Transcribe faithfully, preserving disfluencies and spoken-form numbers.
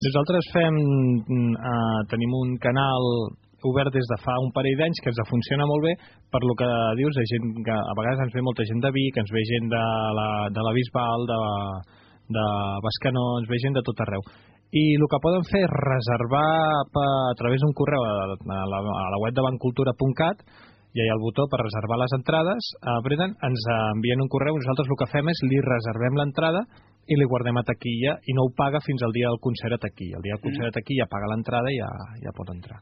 Nosaltres fem, eh, tenim un canal obert des de fa un parell d'anys que ens funciona molt bé per lo que dius, de gent que a vegades ens ve molta gent de Vic, ens ve gent de la, de la Bisbal, de, de Bescanó, ens ve gent de tot arreu. I el que poden fer és reservar per, a través d'un correu a la, a la web de bancultura punt cat, i hi ha el botó per reservar les entrades, apreten, ens envien un correu, nosaltres el que fem és li reservem l'entrada i li guardem a taquilla i no ho paga fins al dia del concert a taquilla. El dia del concert a taquilla paga l'entrada i ja, ja pot entrar.